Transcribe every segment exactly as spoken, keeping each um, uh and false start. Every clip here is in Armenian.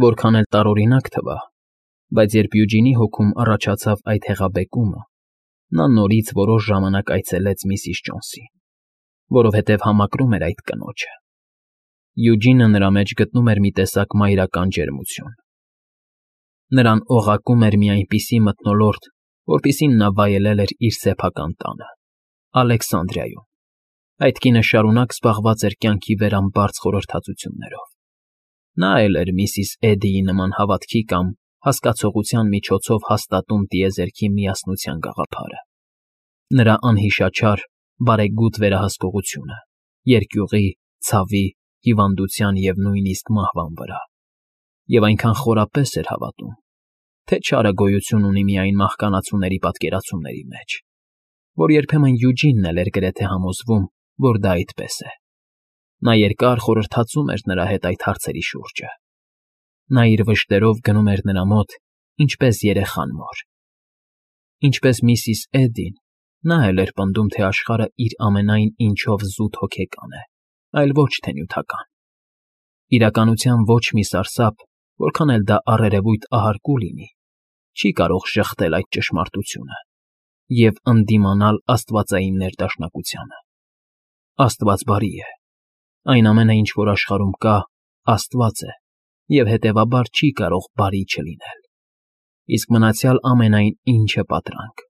Որքան էլ տարօրինակ թվա, բայց երբ Յուջինի հոգում առաջացավ այդ հեղաբեկումը, նա նորից որոշ ժամանակ այցելեց միսիս Ջոնսին, որովհետև համակրում էր այդ կնոջը. Յուջինը նրա մեջ գտնում էր մի տեսակ մայրական ջերմություն. նրան օղակում էր մի այնպիսի մթնոլորտ, որպիսին նա վայելել էր իր սեփական տանը, Ալեքսանդրիայում. այդ կինը շարունակ զբաղված էր կյանքի վերամբարձ խորհրդածություններով. նա էլ էր միսիս Էդդիի նման հավատքի կամ հասկացողության միջոցով հաստատում տիեզերքի միասնության գաղափարը, նրա անհիշաչար, բարեգութ վերահսկողությունը, երկյուղի, ցավի, հիվանդության և նույնիսկ մահվան վրա, և այնքան խորապես էր հավատում, թե չարը գոյություն ունի միայն մահկանացուների պատկերացումների մեջ, որ երբեմն Յուջինն էլ էր գրեթե համոզվում, որ դա այդպես է. նա երկար խորհրդածում էր նրա հետ այդ հարցերի շուրջը. նա իր վշտերով գնում էր նրա մոտ, ինչպես երեխան մոր. ինչպես միսիս Էդդին, նա էլ էր պնդում, թե աշխարհը իր ամենայն ինչով զուտ հոգեկան է, այլ ոչ թե նյութական. իրականության ոչ մի սարսափ, որքան էլ դա առերևույթ ահարկու լինի, չի կարող ժխտել այդ ճշմարտությունը և ընդդիմանալ աստվածային ներդաշնակությանը. Աստված բարի է, այն ամենը, ինչ որ աշխարհում կա, Աստված է և հետևաբար չի կարող բարի չլինել, իսկ մնացյալ ամենայն ինչը պատրանք.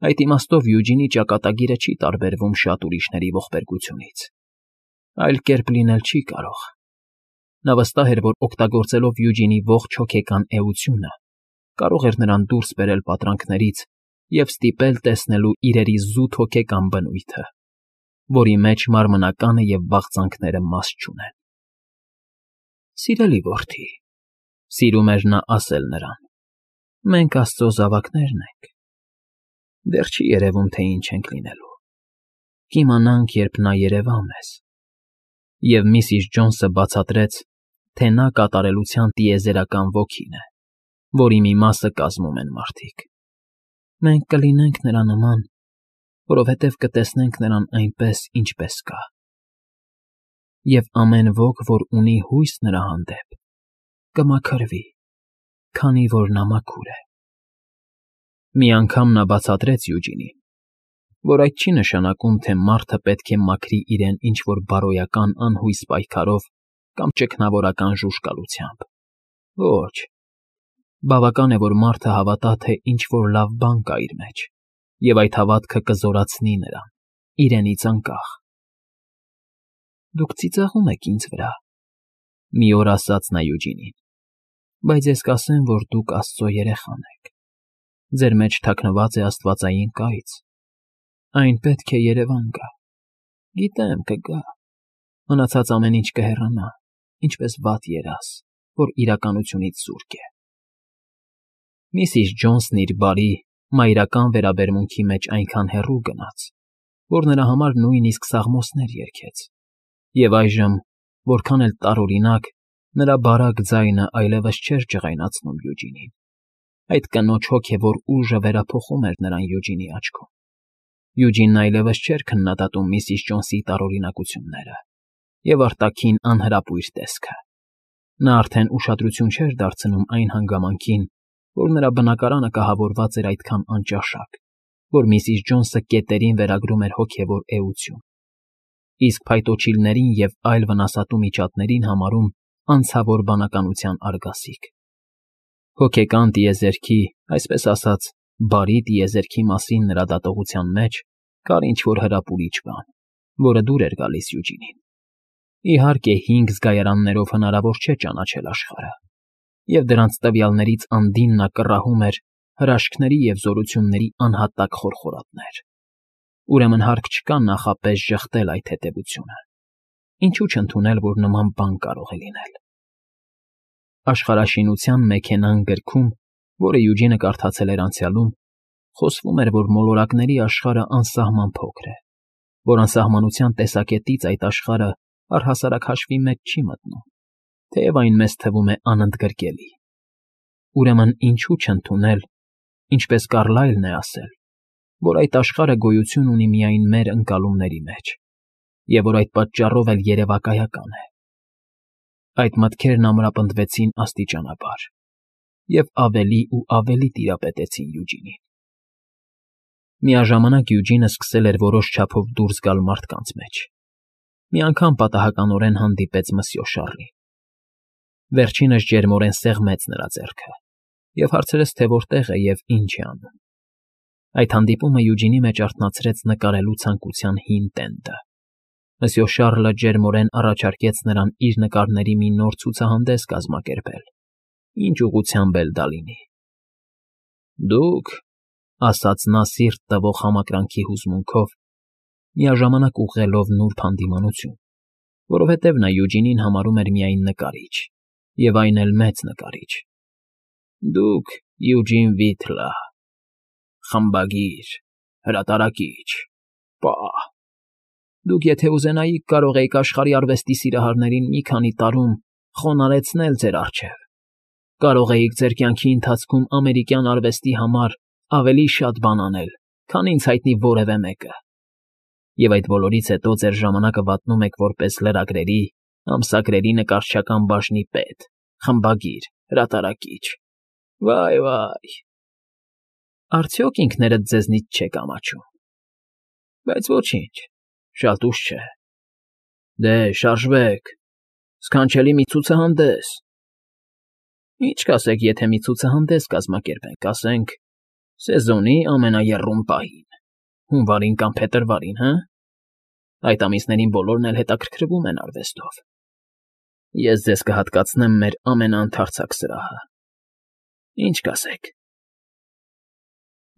այդ իմաստով Յուջինի ճակատագիրը չի տարբերվում շատ ուրիշների ողբերգությունից, այլ կերպ լինել չի կարող. նա վստահ էր, որ օգտագործելով Յուջինի ողջ հոգեկան էությունը, կարող էր նրան դուրս բերել պատրանքներից և ստիպել տեսնելու իրերի զուտ հոգեկան բնույթը, որի մեջ մարմնականը և վաղձանքները մաս չունեն։ «Սիրելի որդի,֊ սիրում էր նա ասել նրան,֊ մենք Աստծո զավակներն ենք, դեռ չի երևում, թե ինչ ենք լինելու, կիմանանք, երբ նա երևա մեզ»։ Եվ միսիս Ջոնսը բացատրեց, թե նա կատարելության տիեզերական ոգին է, որի մի մասը կազմում են մարդիկ։ «Մենք կլինենք նրա նման, որովհետև կտեսնենք նրան այնպես, ինչպես կա։ Եվ ամեն ոք, որ ունի հույս նրա հանդեպ, կմաքրվի, քանի որ նա մաքուր է»։ Մի անգամ նա բացատրեց Յուջինին, որ այդ չի նշանակում, թե մարդը պետք է մաքրի իրեն ինչ֊որ բարոյական անհույս պայքարով կամ ճգնավորական ժուժկալությամբ։ Ոչ, բավական է, որ մարդը հավատա, թե ինչ֊որ լավ բան կա իր մեջ, և այդ հավատքը կզորացնի նրան, իրենից անկախ։ «Դուք ծիծաղում եք ինձ վրա,֊ մի օր ասաց նա Յուջինին,֊ բայց ես կասեմ, որ դուք Աստծո երեխան եք, ձեր մեջ թաքնված է աստվածային կայծ, այն պետք է երևան գա, գիտեմ, կգա, մնացած ամեն ինչ կհեռանա, ինչպես վատ երազ, որ իրականությունից զուրկ է»։ Միսիս Ջոնսն իր բարի, մայրական վերաբերմունքի մեջ այնքան հեռու գնաց, որ նրա համար նույնիսկ սաղմոսներ երգեց, և այժմ, որքան էլ տարօրինակ, նրա բարակ ձայնը այլևս չէր ջղայնացնում Յուջինին, այդ կնոջ հոգևոր ուժը վերափոխում էր նրան Յուջինի աչքում։ Յուջինն այլևս չէր քննադատում միսիս Ջոնսի տարօրինակությունները և արտաքին անհրապույր տեսքը։ Նա արդեն ուշադրություն չէր դարձնում այն հանգամանքին, որ նրա բնակարանը կահավորված էր այդքան անճաշակ, որ միսիս Ջոնսը կետերին վերագրում էր հոգևոր էություն, իսկ փայտոջիլներին և այլ վնասատու միջատներին համարում անցավոր բանականության արգասիկ։ Հոգեկան տիեզերքի, այսպես ասած, բարի տիեզերքի մասին նրա դատողության մեջ կար ինչ֊որ հրապուրիչ բան, որը դուր էր գալիս Յուջինին։ Իհարկե, հինգ զգայարաններով հնարավոր չէ ճանաչել աշխարհը, և դրանց տվյալներից անդին նա կռահում էր հրաշքների և զորությունների անհատակ խորխորատներ։ Ուրեմն հարկ չկա նախապես ժխտել այդ հետևությունը, ինչու չընդունել, որ նման բան կարող է լինել։ Աշխարհաշինության մեքենան գրքում, որը Յուջինը կարդացել էր անցյալում, խոսվում էր, որ մոլորակների աշխարհը անսահման փոքր է, որ անսահմանության տեսակետից այդ աշխարհը առհասարակ հաշվի մեջ չի մտնում, թեև այն մեզ թվում է անընդգրկելի։ Ուրեմն ինչու չընդունել, ինչպես Կարլայլն է ասել, որ այդ աշխարհը գոյություն ունի միայն մեր ընկալումների մեջ, և որ այդ պատճառով էլ երևակայական է։ Այդ մտքերն ամրապնդվեցին աստիճանաբար և ավելի ու ավելի տիրապետեցին Յուջինին։ Միաժամանակ Յուջինը սկսել էր որոշ չափով դուրս գալ մարդկանց մեջ. մի անգամ պատահականորեն հանդիպեց մսյո Շառլին։ Վերջինս ջերմորեն սեղմեց նրա ձեռքը և հարցրեց, թե որտեղ է և ինչ է անում։ Այդ հանդիպումը Յուջինի մեջ արթնացրեց նկարելու ցանկության հին տենդը։ Մսյո Շառլը ջերմորեն առաջարկեց նրան իր նկարների մի նոր ցուցահանդես կազմակերպել, ինչ ուղղությամբ էլ դա լինի։ Դուք, ասաց նա սիրտ տվող համակրանքի հուզմունքով, միաժամանակ ուղղելով նուրբ հանդիմանություն, որովհետև նա Յուջինին համարում էր միայն նկարիչ, և այն էլ մեծ նկարիչ։ Դուք, Յուջին Վիթլը, խմբագիր, հրատարակիչ, պահ, դուք եթե ուզենայիք, կարող էիք աշխարհի արվեստի սիրահարներին մի քանի տարում խոնարհեցնել ձեր առջև, կարող էիք ձեր կյանքի ընթացքում ամերիկյան արվեստի համար ավելի շատ բան անել, քան ինձ հայտնի որևէ մեկը, և այդ բոլորից հետո ձեր ժամանակը վատնում եք որպես լրագրերի, ամսագրերի նկարչական բաժնի պետ, խմբագիր, հրատարակիչ, վայ, վայ… Արդյոք ինքներդ ձեզնից չեք ամաչում։ Բայց ոչինչ, շատ ուշ չէ։ Դե, շարժվեք, սքանչելի մի ցուցահանդես… Ինչ կասեք, եթե մի ցուցահանդես կազմակերպենք, ասենք, սեզոնի ամենաեռում պահին, հունվարին կամ փետրվարին, հը՞։ Այդ ամիսներին բոլորն էլ հետաքրքրվում են արվեստով։ Ես ձեզ կհատկացնեմ մեր ամենաընդարձակ սրահը։ Ինչ կասեք։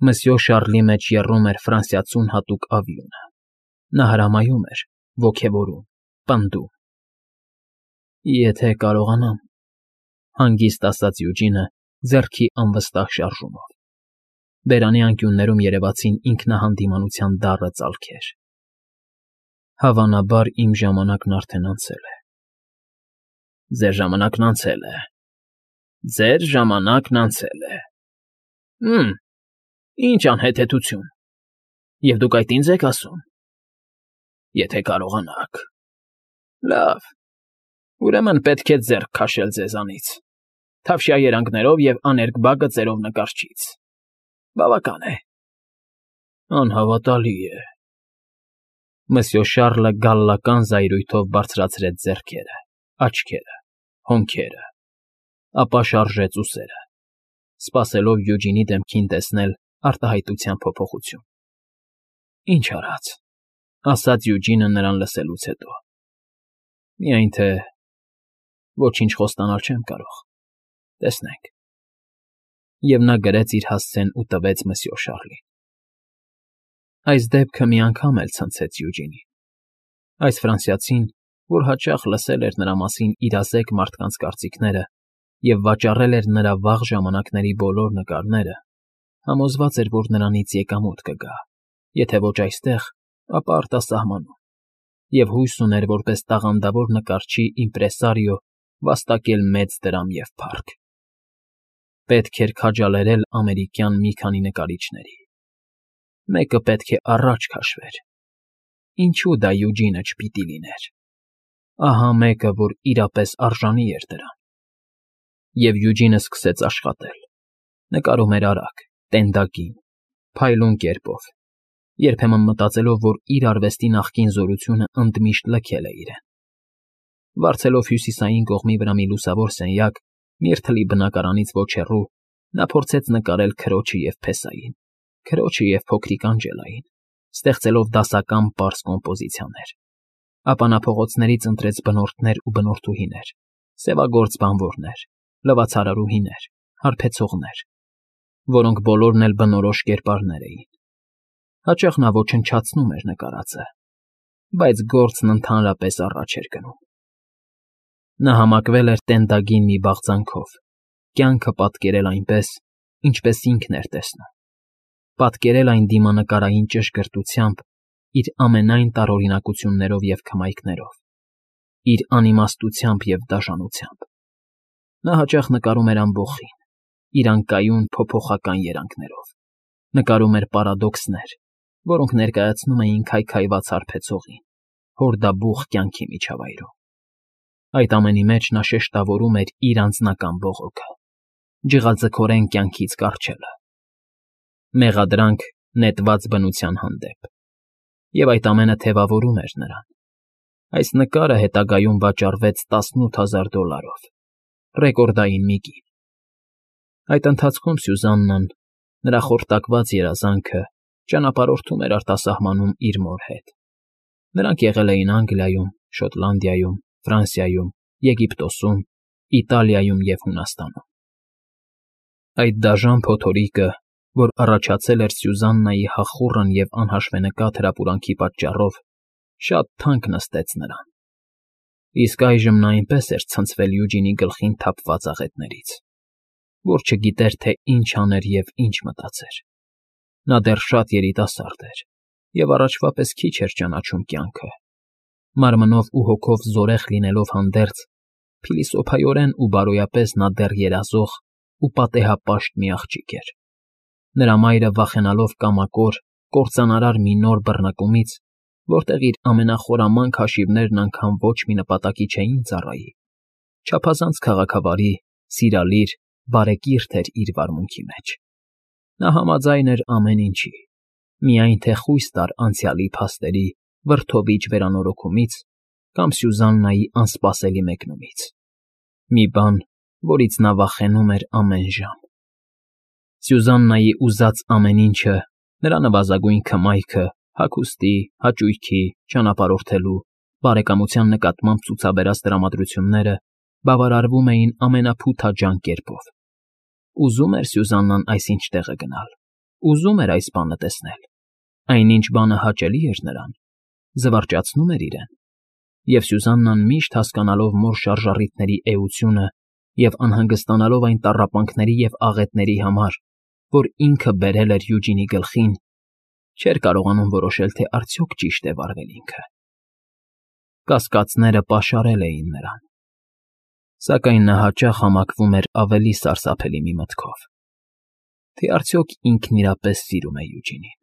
Մսյո Շառլի մեջ եռում էր ֆրանսիացուն հատուկ ավյունը։ Նա հրամայում էր, ոգևորում, պնդում։ Եթե կարողանամ, հանգիստ ասաց Յուջինը ձեռքի անվստահ շարժումով։ Բերանի անկյուններում երևացին ինքնահանդիմանության դառը ծալքեր։ Հավանաբար իմ ժամանակն արդեն անցել է։ Ձեր ժամանակն անցել է… Ձեր ժամանակն անցել է… Հը՜մ… Ինչ անհեթեթություն… Եվ դուք այդ ինձ եք ասում… Եթե կարողանաք… Լավ, ուրեմն պետք է ձեռք քաշել ձեզանից, թավշյա երանգներով և աներկբա գծերով նկարչից… Բավական է… Անհավատալի է… Մսյո Շառլը գալլական զայրույթով բարձրացրեց ձեռքերը, աչքերը, հոնքերը, ապա շարժեց ուսերը, սպասելով Յուջինի դեմքին տեսնել արտահայտության փոփոխություն։ Ինչ արած, ասաց Յուջինը նրան լսելուց հետո։ Միայն թե… ոչինչ խոստանալ չեմ կարող, տեսնենք… Եվ նա գրեց իր հասցեն ու տվեց մսյո Շառլին։ Այս դեպքը մի անգամ էլ ցնցեց Յուջինին։ Այս ֆրանսիացին, որ հաճախ լսել էր նրա մասին իրազեկ մարդկանց կարծիքները և վաճառել էր նրա վաղ ժամանակների բոլոր նկարները, համոզված էր, որ նրանից եկամուտ կգա, եթե ոչ այստեղ, ապա արտասահմանում, և հույս ուներ որպես տաղանդավոր նկարչի իմպրեսարիո վաստակել մեծ դրամ և փառք։ Պետք էր քաջալերել ամերիկյան մի քանի նկարիչների։ Մեկը պետք է առաջ քաշվեր։ Ինչու դա Յուջինը չպիտի լիներ։ Ահա մեկը, որ իրապես արժանի էր դրան։ Եվ Յուջինը սկսեց աշխատել։ Նկարում էր արագ, տենդակին, փայլուն կերպով, երբեմն մտածելով, որ իր արվեստի նախկին զորությունը ընդմիշտ լքել է իրեն։ Վարձելով հյուսիսային կողմի վրա մի լուսավոր սենյակ, Միրթլի բնակարանից ոչ հեռու, նա փորձեց նկարել քրոջը և փեսային, քրոջը և փոքրիկ Անջելային, ստեղծելով դասական պարզ կոմպոզիցիաներ։ Ապա նա փողոցներից ընտրեց բնորդներ ու բնորդուհիներ, սևագործ բանվորներ, լվացարարուհիներ, հարբեցողներ, որոնք բոլորն էլ բնորոշ կերպարներ էին։ Հաճախ նա ոչնչացնում էր նկարածը, բայց գործն ընդհանրապես առաջ էր գնում։ Նա համակվել էր տենդագին մի բաղձանքով, կյանքը պատկերել այնպես, ինչպես ինքն էր տեսնում, պատկերել այն դիմանկարային ճշգրտությամբ իր ամենայն տարօրինակություններով և քմայքներով, իր անիմաստությամբ և դաժանությամբ։ Նա հաճախ նկարում էր ամբոխին, իր անկայուն փոփոխական երանգներով, նկարում էր պարադոքսներ, որոնք ներկայացնում էին քայքայված հարբեցողին, հորդաբուխ կյանքի միջավայրում։ Այդ ամենի մեջ նա շեշտավորում էր իր անձնական բողոքը, ջղաձգորեն կյանքից կառչելը, մեղադրանք նետված բնության հանդեպ, և այդ ամենը թևավորում էր նրան։ Այս նկարը հետագայում վաճառվեց տասնութ հազար դոլարով, ռեկորդային մի կին։ Այդ ընթացքում Սյուզաննան, նրա խորտակված երազանքը, ճանապարհորդում էր արտասահմանում իր մոր հետ։ Նրանք եղել էին Անգլիայում, Շոտլանդիայում, Ֆրանսիայում, Եգիպտոսում, Իտալիայում և Հունաստանում։ Այդ դաժան փոթորիկը, որ առաջացել էր Սյուզաննայի հախուռն և անհաշվենկատ հրապուրանքի պատճառով, շատ թանկ նստեց նրան, իսկ այժմ նա այնպես էր ցնցվել Յուջինի գլխին թափված աղետներից, որ չգիտեր, թե ինչ աներ և ինչ մտածեր։ Նա դեռ շատ երիտասարդ էր և առաջվա պես քիչ էր ճանաչում կյանքը, մարմնով ու հոգով զորեղ լինելով հանդերձ, փիլիսոփայորեն ու բարոյապես նա դեռ երազող ու պատեհապաշտ մի աղջիկ էր։ Նրա մայրը վախենալով կամակոր, կործանարար մի նոր բռնկումից, որտեղ իր ամենախորամանկ հաշիվներն անգամ ոչ մի նպատակի չէին ծառայի, չափազանց քաղաքավարի, սիրալիր, բարեկիրթ էր իր վարմունքի մեջ։ Նա համաձայն էր ամեն ինչի, միայն թե խույս տար անցյալի փաստերի վրդովիչ վերանորոգումից կամ Սյուզաննայի անսպասելի մեկնումից, մի բան, որից նա վախենում էր ամեն ժամ։ Սյուզաննայի ուզած ամեն ինչը, նրա նվազագույն քմայքը, հագուստի, հաճույքի, ճանապարհորդելու, բարեկամության նկատմամբ ցուցաբերած տրամադրությունները բավարարվում էին ամենափութաջան կերպով։ Ուզում էր Սյուզաննան այսինչ տեղը գնալ, ուզում էր այս բանը տեսնել, այնինչ բանը հաճելի էր նրան, զվարճացնում էր իրեն, և Սյուզաննան միշտ հասկանալով մոր շարժառիթների էությունը և անհանգստանալով այն տառապանքների և աղետների համար, որ ինքը բերել էր Յուջինի գլխին, չէր կարողանում որոշել, թե արդյոք ճիշտ է վարվել ինքը։ Կասկածները պաշարել էին նրան, սակայն նա հաճախ համակվում էր ավելի սարսափելի մի մտքով, թե արդյոք ինքն իրապես սիրում է Յուջինին։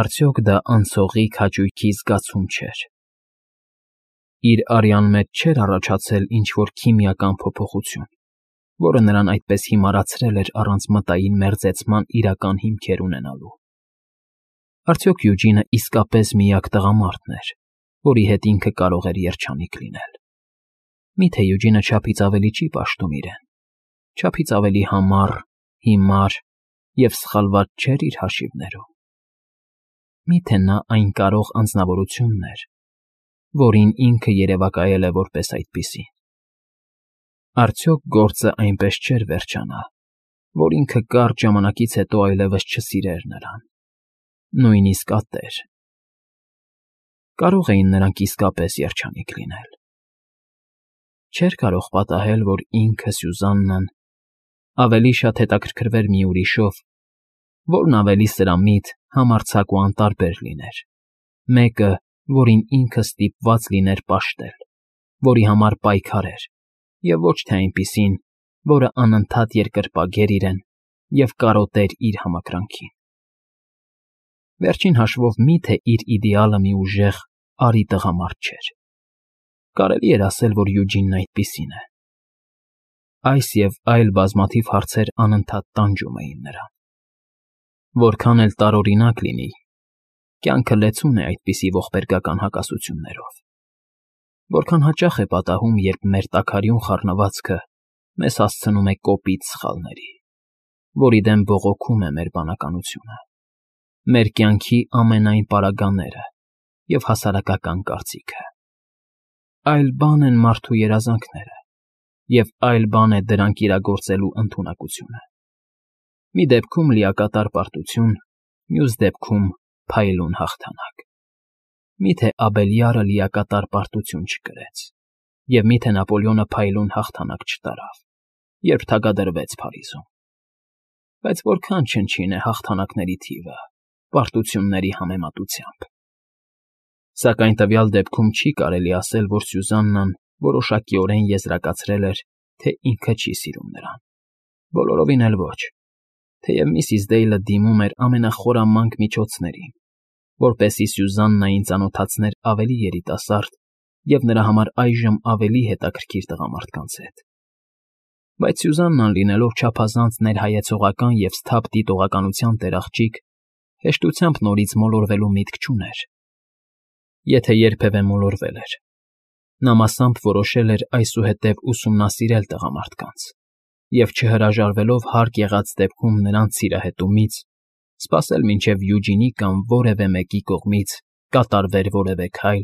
Արդյոք դա անցողիկ հաճույքի զգացում չէր։ Իր արյան մեջ չէր առաջացել ինչ֊որ քիմիական փոփոխություն, որը նրան այդպես հիմարացրել էր առանց մտային մերձեցման իրական հիմքեր ունենալու։ Արդյոք Յուջինը իսկապես միակ տղամարդն էր, որի հետ ինքը կարող էր երջանիկ լինել։ Մի՞թե Յուջինը չափից ավելի չի պաշտում իրեն, չափից ավելի համառ, հիմար և սխալված չէր իր հաշիվներում։ Մի՞թե նա այն կարող անձնավորությունն էր, որին ինքը երևակայել է որպես այդպիսին։ Արդյոք գործը այնպես չէր վերջանա, որ ինքը կարճ ժամանակից հետո այլևս չսիրեր նրան, նույնիսկ ատեր։ Կարո՞ղ էին նրանք իսկապես երջանիկ լինել։ Չէր կարող պատահել, որ ինքը, Սյուզաննան, ավելի շատ հետաքրքրվեր մի ուրիշով, որն ավելի սրամիտ, համարձակ ու անտարբեր լիներ, մեկը, որին ինքը ստիպված լիներ պաշտել, որի համար պայքարեր, և ոչ թե այնպիսին, որը անընդհատ երկրպագեր իրեն և կարոտեր իր համակրանքին։ Վերջին հաշվով մի՞թե իր իդեալը մի ուժեղ, արի տղամարդ չէր։ Կարելի էր ասել, որ Յուջինն այդպիսին է։ Այս և այլ բազմաթիվ հարցեր անընդհատ տանջում էին նրան։ Որքան էլ տարօրինակ լինի, կյանքը լեցուն է այդպիսի ողբերգական հակասություններով։ Որքան հաճախ է պատահում, երբ մեր տաքարյուն խառնվածքը մեզ հասցնում է կոպիտ սխալների, որի դեմ բողոքում է մեր բանականությունը, մեր կյանքի ամենայն պարագաները և հասարակական կարծիքը։ Այլ բան են մարդու երազանքները, և այլ բան է դրանք իրագործելու ընդունակությունը։ Մի դեպքում լիակատար պարտություն, մյուս դեպքում փայլուն հաղթանակ։ Մի՞թե Աբելյարը լիակատար պարտություն չկրեց, և մի՞թե Նապոլեոնը փայլուն հաղթանակ չտարավ, երբ թագադրվեց Փարիզում։ Բայց որքան չնչին է հաղթանակների թիվը պարտությունների համեմատությամբ։ Սակայն տվյալ դեպքում չի կարելի ասել, որ Սյուզաննան որոշակիորեն եզրակացրել էր, թե ինքը չի սիրում նրան։ Բոլորովին էլ ոչ, թեև միսիս Դեյլը դիմում էր ամենախորամանկ միջոցներին, որպեսզի Սյուզաննային ծանոթացներ ավելի երիտասարդ և նրա համար այժմ ավելի հետաքրքիր տղամարդկանց հետ։ Բայց Սյուզաննան, լինելով չափազանց ներհայեցողական և սթափ դիտողականության տեր֊աղջիկ, հեշտությամբ նորից մոլորվելու միտք չուներ։ Եթե երբևէ մոլորվել էր, նա մասամբ որոշել էր այսուհետև ուսումնասիրել տղամարդկանց և, չհրաժարվելով հարկ եղած դեպքում նրանց սիրահետումից, սպասել մինչև Յուջինի կամ որևէ մեկի կողմից կատարվեր որևէ քայլ,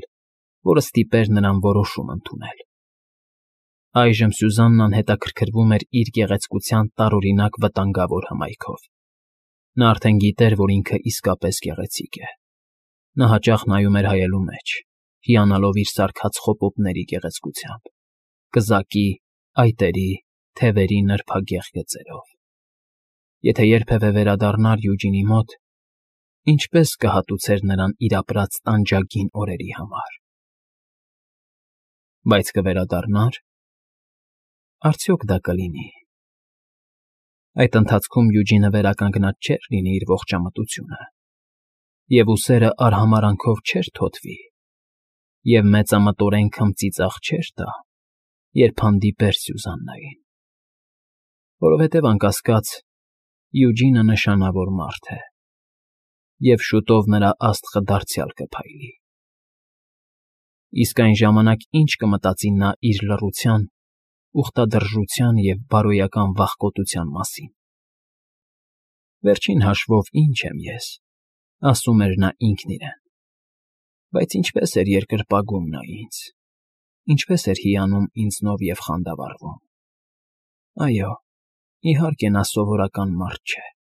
որը ստիպեր նրան որոշում ընդունել։ Այժմ Սյուզաննան հետաքրքրվում էր իր գեղեցկության տարօրինակ վտանգավոր հմայքով։ Նա արդեն գիտեր, որ ինքը իսկապես գեղեցիկ է։ Նա հաճախ նայում էր հայելու մեջ, հիանալով իր սարքած խոպոպների գեղեցկությամբ, կզակի, այտերի, թևերի նրբագեղ գծերով։ Եթե երբևէ վերադառնար Յուջինի մոտ, ինչպե՞ս կհատուցեր նրան իր ապրած տանջագին օրերի համար։ Բայց կվերադառնա՞ր… Արդյոք դա կլինի… Այդ ընթացքում Յուջինը վերականգնած չէր լինի իր ողջամտությունը, և ուսերը արհամարհանքով չէր թոթվի, և մեծամտորեն քմծիծաղ չէր տա, երբ հանդիպեր Սյուզաննային, որովհետև, անկասկած, Յուջինը նշանավոր մարդ է, և շուտով նրա աստղը դարձյալ կփայլի։ Իսկ այն ժամանակ ի՞նչ կմտածի նա իր լռության, ուխտադրժության և բարոյական վախկոտության մասին։ «Վերջին հաշվով ի՞նչ եմ ես,֊ ասում էր նա ինքն իրեն,֊ բայց ինչպե՜ս էր երկրպագում նա ինձ, ինչպես էր հիանում ինձնով և խանդավառվում… Այո, իհարկե, նա սովորական մարդ չէ։